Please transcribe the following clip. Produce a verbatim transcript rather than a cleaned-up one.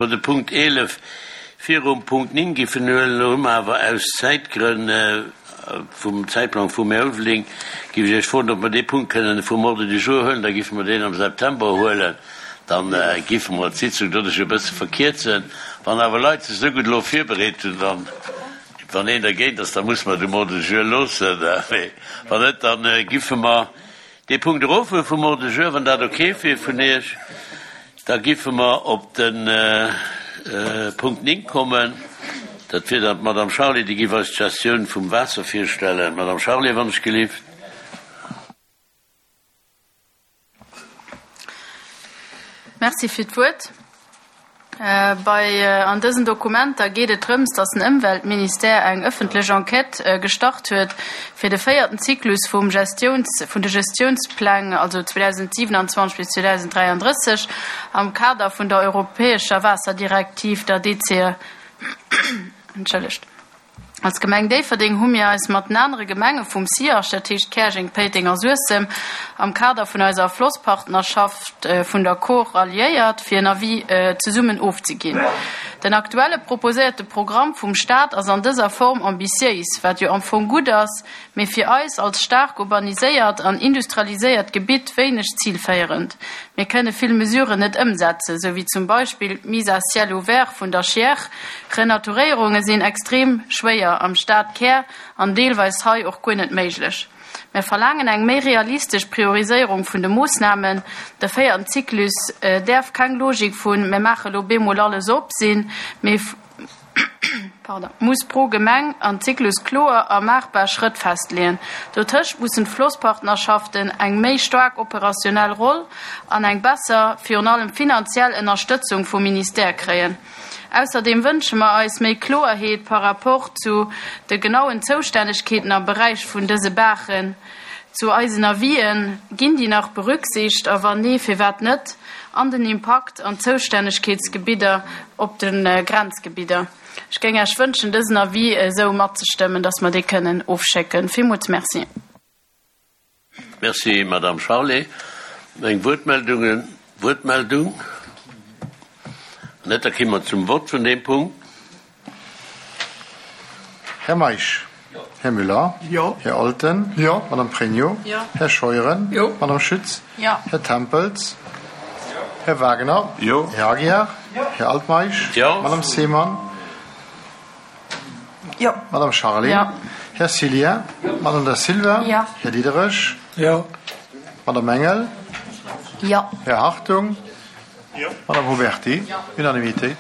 Mer de Punkt eelef virum Punkt néng giffen huelen, elo hu mer awer aus Zäitgrënn vum Zäitplang vum Här Ulveling, giff ech Iech froen, ob mer dee Punkt kënnen vum Ordre du jour huelen, da giffe mer deen am September huelen, da giffe mer d'Sitzung doduerch e bësse verkierzen. Wann awer Leit sech esou gutt elo virbereet hunn, dann, wann een dergéint ass, da musse mer et um Ordre du jour loossen, mee wann net, da giffe mer dee Punkt erofhuele vum Ordre du jour, wann dat ok wier vun Iech. Da giffe mer op de Punkt néng kommen. Dat wier dann d'Madame Charlé, déi giff eis d'Gestioun vum Waasser virstellen. Madame Charlé, wann ech gelift. Merci fir d'Wuert. Bei an dësen Dokumenter geet et drëms, datt den Ëmweltministère eng ëffentlech Enquête gestart huet, fir de véierten Zyklus vum Gestiouns, vun de Gestiounspläng, also zweedausendsiewenundzwanzeg bis zweedausenddräianddrësseg, am Kader vun der europäescher Waasserdirektiv, der D C E, entschëllegt. Als Gemeng Déifferdeng hu mir eis mat den anere Gemenge vum SIAG, dat heescht Käerjeng, Péiteng a Suessem, am Kader vun eiser Flosspartnerschaft vun der Kor ralliéiert, fir en Avis zesummen ofzeginn. Den aktuelle proposéierte Programm vum Staat ass an dëser Form ambitiéis, wat jo am Fong gutt ass, mee fir eis als staark urbaniséiert an industrialiséiert Gebitt wéineg zilféierend. Mir kënne vill Mesuren net ëmsetzen, sou wéi zum Beispill d'Mise à ciel ouvert vun der Chiers. Renaturéierunge sinn extrem schwéier am Stadkär an deelweis hei och guer net méiglech. Mir verlaangen eng méi realistesch Prioriséierung vun de Moossnamen. De véierten Zyklus däerf keng Logik vun mir maache lo bemol alles op sinn, mee muss pro Gemeng an Zyklus kloer a maachbar Schrëtt festleeën. Dotëscht mussen d'Flosspartnerschaften eng méi staark operationell Roll an eng besser, virun allem finanziell Ënnerstëtzung vum Ministère kréien. Ausserdeem wënsche mer eis méi Kloerheet par rapport zu de genauen Zoustännegkeeten am Beräich vun dëse Baachen. Zu eisen Avisen, ginn déi nach berücksicht a wann nee, firwat net, an den Impakt an d'Zoustännegkeetsgebidder op de Grenzgebidder. Ech géing Iech wënschen, dësen Avis esou matzestëmmen, dass mer dee kënnen ofschécken. Villmools merci. Merci, Madame Charlé. Eng Wuertmeldungen, Wuertmeldung? Net, da komme mer zum Vott vun deem Punkt. Här Meisch? Här Müller? Jo. Här Olten? Jo. Madame Pregno? Jo. Här Scheuren? Jo. Madame Schütz? Jo. Här Tempels? Här Wagner? Jo. Här Aguiar? Här Altmeisch? Jo. Madame Seemann? Jo. Madame Charlé? Jo. Här Cillien? Madame Da Silva? Jo. Här Diderich? Jo. Madame Engel? Jo. Här Hartung? Jo. Madame Huberti? Unanimité.